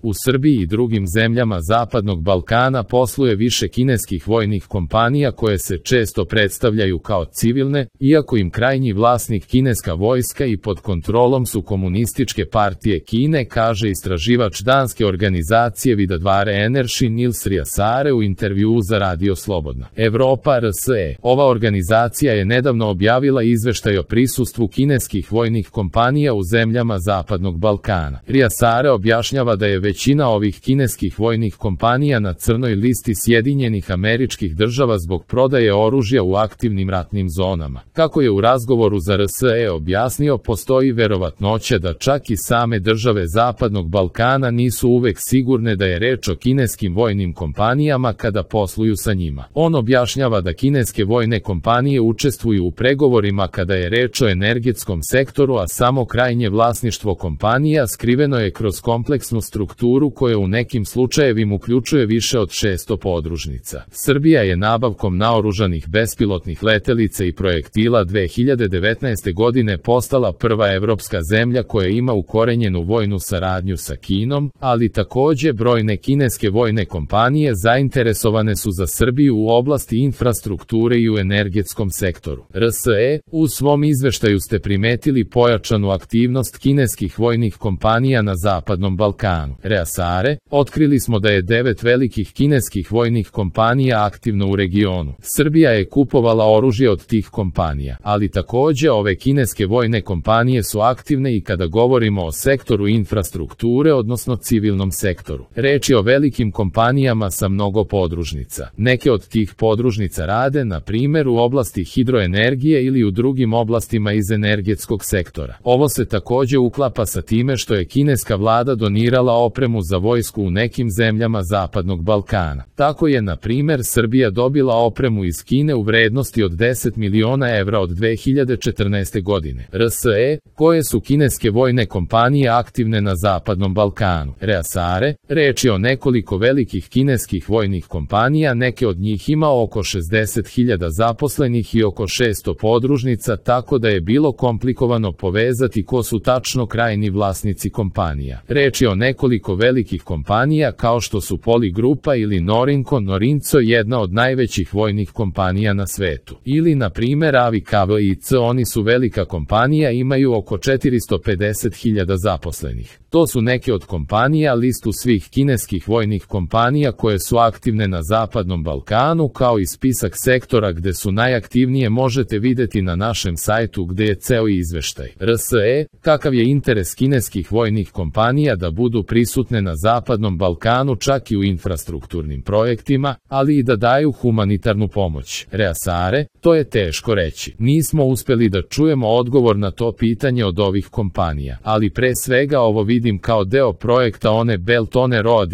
U Srbiji i drugim zemljama Zapadnog Balkana posluje više kineskih vojnih kompanija koje se često predstavljaju kao civilne, iako im krajnji vlasnik kineska vojska i pod kontrolom su komunističke partije Kine, kaže istraživač danske organizacije Vidadvare Energy Nils Riasare u intervjuu za Radio Slobodna Evropa RSE. Ova organizacija je nedavno objavila izveštaj o prisustvu kineskih vojnih kompanija u zemljama Zapadnog Balkana. Riasare objašnjava da je većina ovih kineskih vojnih kompanija na crnoj listi Sjedinjenih Američkih Država zbog prodaje oružja u aktivnim ratnim zonama. Kako je u razgovoru za RSE objasnio, postoji verovatnoća da čak i same države Zapadnog Balkana nisu uvek sigurne da je reč o kineskim vojnim kompanijama kada posluju sa njima. On objašnjava da kineske vojne kompanije učestvuju u pregovorima kada je reč o energetskom sektoru, a samo krajnje vlasništvo kompanija skriveno je kroz kompleksnu strukturu koja u nekim slučajevima uključuje više od 600 podružnica. Srbija je nabavkom naoružanih bespilotnih letelica i projektila 2019. godine postala prva evropska zemlja koja ima ukorenjenu vojnu saradnju sa Kinom, ali takođe brojne kineske vojne kompanije zainteresovane su za Srbiju u oblasti infrastrukture i u energetskom sektoru. RSE, u svom izveštaju ste primetili pojačanu aktivnost kineskih vojnih kompanija na Zapadnom Balkanu. Riasare, otkrili smo da je 9 velikih kineskih vojnih kompanija aktivno u regionu. Srbija je kupovala oružje od tih kompanija, ali takođe ove kineske vojne kompanije su aktivne i kada govorimo o sektoru infrastrukture, odnosno civilnom sektoru. Reč je o velikim kompanijama sa mnogo podružnica. Neke od tih podružnica rade, na primjer, u oblasti hidroenergije ili u drugim oblastima iz energetskog sektora. Ovo se takođe uklapa sa time što je kineska vlada donirala opremu za vojsku u nekim zemljama Zapadnog Balkana. Tako je, na primjer, Srbija dobila opremu iz Kine u vrednosti od 10 miliona evra od 2014. godine. RSE, koje su kineske vojne kompanije aktivne na Zapadnom Balkanu. Riasare, reč je o nekoliko velikih kineskih vojnih kompanija, neke od njih ima oko 60.000 zaposlenih i oko 600 podružnica, tako da je bilo komplikovano povezati ko su tačno krajni vlasnici kompanija. Reč je o nekoliko velikih kompanija kao što su Poligrupa ili Norinco, jedna od najvećih vojnih kompanija na svetu. Ili, na primjer, AVKVIC, oni su velika kompanija, imaju oko 450.000 zaposlenih. To su neke od kompanija, listu svih kineskih vojnih kompanija koje su aktivne na Zapadnom Balkanu, kao i spisak sektora gde su najaktivnije možete videti na našem sajtu gde je ceo izveštaj. RSE, kakav je interes kineskih vojnih kompanija da budu prisutne na Zapadnom Balkanu čak i u infrastrukturnim projektima, ali i da daju humanitarnu pomoć. Riasare, to je teško reći. Nismo uspeli da čujemo odgovor na to pitanje od ovih kompanija, ali pre svega ovo vidim kao deo projekta one Belt on Road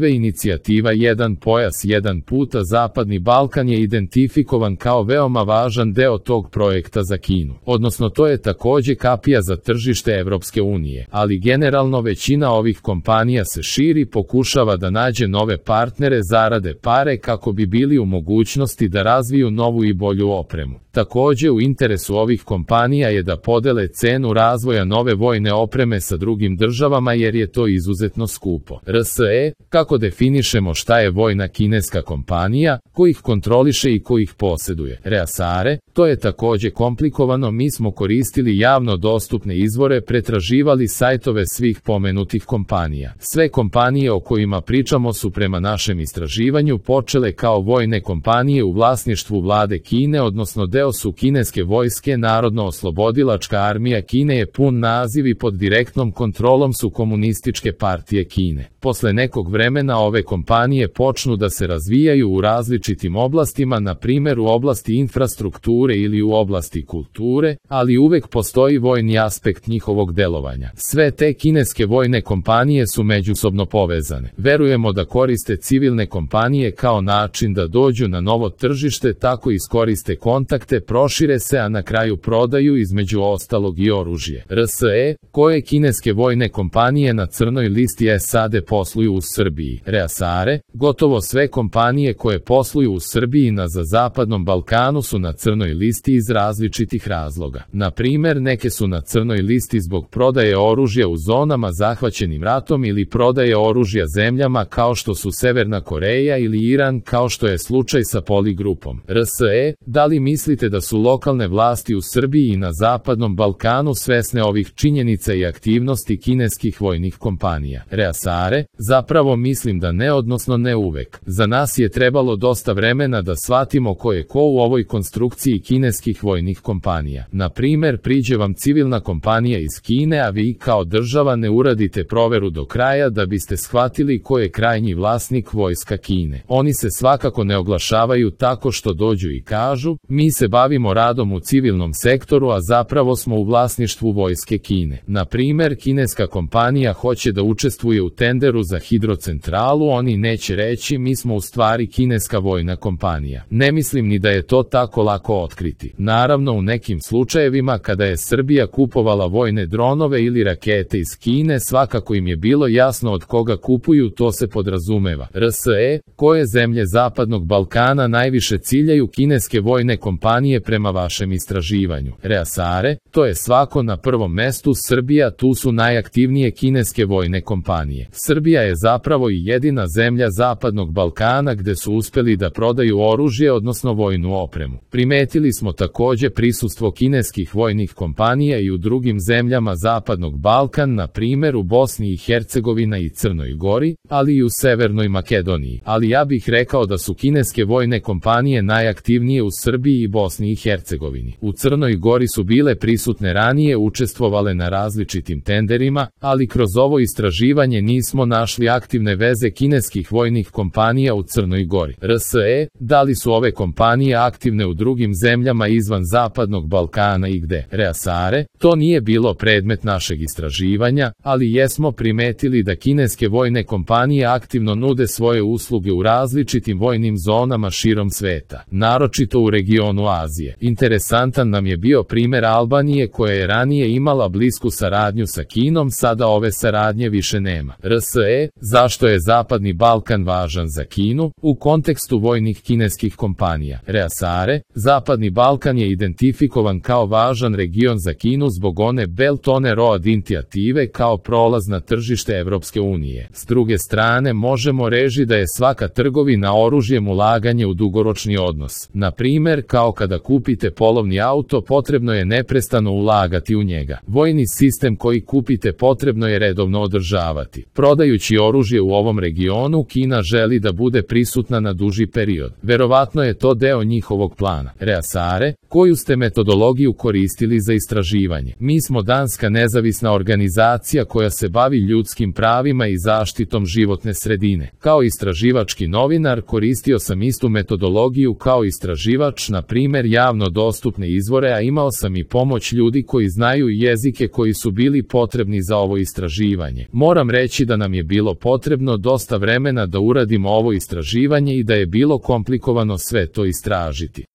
inicijativa Jedan pojas, jedan puta. Zapadni Balkan je identifikovan kao veoma važan deo tog projekta za Kinu. Odnosno, to je takođe kapija za tržište Evropske unije, ali generalno većina ovih kompanija se širi, pokušava da nađe nove partnere, zarade pare kako bi bili u mogućnosti da razviju novu i bolju opremu. Takođe, u interesu ovih kompanija je da podele cenu razvoja nove vojne opreme sa drugim državama jer je to izuzetno skupo. RSE, kako definišemo šta je vojna kineska kompanija, ko ih kontroliše i ko ih poseduje? Riasare, to je takođe komplikovano, mi smo koristili javno dostupne izvore, pretraživali sajtove svih pomenutih kompanija. Sve kompanije o kojima pričamo su prema našem istraživanju počele kao vojne kompanije u vlasništvu vlade Kine, odnosno deo su kineske vojske. Narodno-oslobodilačka armija Kine je pun naziv i pod direktnom kontrolom su komunističke partije Kine. Posle nekog vremena ove kompanije počnu da se razvijaju u različitim oblastima, na primjer u oblasti infrastrukture ili u oblasti kulture, ali uvek postoji vojni aspekt njihovog delovanja. Sve te kineske vojne kompanije su međusobno povezane. Verujemo da koriste civilne kompanije kao način da dođu na novo tržište, tako iskoriste kontakte, prošire se, a na kraju prodaju između ostalog i oružje. RSE, koje kineske vojne kompanije na crnoj listi SAD posluju u Srbiji? Riasare, gotovo sve kompanije koje posluju u Srbiji na Zapadnom Balkanu su na crnoj listi iz različitih razloga. Na primer, neke su na crnoj listi zbog prodaje oružja u zonama zahvaćenim ratom, ratom ili prodaje oružja zemljama kao što su Severna Koreja ili Iran, kao što je slučaj sa Poli grupom. RSE, da li mislite da su lokalne vlasti u Srbiji i na Zapadnom Balkanu svesne ovih činjenica i aktivnosti kineskih vojnih kompanija? Reasare, zapravo mislim da ne, odnosno ne uvek. Za nas je trebalo dosta vremena da shvatimo ko je ko u ovoj konstrukciji kineskih vojnih kompanija. Na primer, priđe vam civilna kompanija iz Kine, a vi kao država ne uradite proveru do kraja da biste shvatili ko je krajnji vlasnik vojska Kine. Oni se svakako ne oglašavaju tako što dođu i kažu, mi se bavimo radom u civilnom sektoru, a zapravo smo u vlasništvu vojske Kine. Na primer, kineska kompanija hoće da učestvuje u tenderu za hidrocentralu, oni neće reći mi smo u stvari kineska vojna kompanija. Ne mislim ni da je to tako lako otkriti. Naravno, u nekim slučajevima kada je Srbija kupovala vojne dronove ili rakete iz Kine, svakako im je bilo jasno od koga kupuju, to se podrazumeva. RSE, koje zemlje Zapadnog Balkana najviše ciljaju kineske vojne kompanije prema vašem istraživanju? Reasare, to je svako na prvom mestu Srbija, tu su najaktivnije kineske vojne kompanije. Srbija je zapravo i jedina zemlja Zapadnog Balkana gde su uspeli da prodaju oružje, odnosno vojnu opremu. Primetili smo takođe prisustvo kineskih vojnih kompanija i u drugim zemljama Zapadnog Balkan, na primer u Bosni i Hercegovina i Crnoj Gori, ali i u Severnoj Makedoniji. Ali ja bih rekao da su kineske vojne kompanije najaktivnije u Srbiji i Bosni i Hercegovini. U Crnoj Gori su bile prisutne ranije, učestvovale na različitim tenderima, ali kroz ovo istraživanje nismo našli aktivne veze kineskih vojnih kompanija u Crnoj Gori. RSE, da li su ove kompanije aktivne u drugim zemljama izvan Zapadnog Balkana i gde? Reasare, to nije bilo predmet našeg istraživanja, ali jesmo primetili da kineske vojne kompanije aktivno nude svoje usluge u različitim vojnim zonama širom sveta, naročito u regionu Azije. Interesantan nam je bio primer Albanije koja je ranije imala blisku saradnju sa Kinom, sada ove saradnje više nema. RSE, zašto je Zapadni Balkan važan za Kinu u kontekstu vojnih kineskih kompanija? Reasare, Zapadni Balkan je identifikovan kao važan region za Kinu zbog one Belt on the Road inicijative kao prolaz na tržište Evropske unije. S druge strane, možemo reći da je svaka trgovina oružjem ulaganje u dugoročni odnos. Na primer, kao kada kupite polovni auto, potrebno je neprestano ulagati u njega. Vojni sistem koji kupite potrebno je redovno održavati. Prodajući oružje u ovom regionu, Kina želi da bude prisutna na duži period. Verovatno je to deo njihovog plana. Reasare, koju ste metodologiju koristili za istraživanje? Mi smo danska nezavisna organizacija koja se bavi ljudskim pravima i zaštitom životne sredine. Kao istraživački novinar koristio sam istu metodologiju kao istraživač, na primer javno dostupne izvore, a imao sam i pomoć ljudi koji znaju jezike koji su bili potrebni za ovo istraživanje. Moram reći da nam je bilo potrebno dosta vremena da uradimo ovo istraživanje i da je bilo komplikovano sve to istražiti.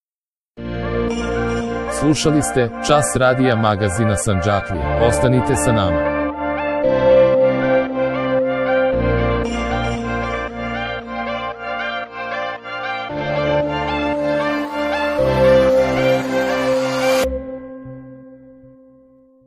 Slušali ste Čas radija magazina Sandžaklija. Ostanite sa nama.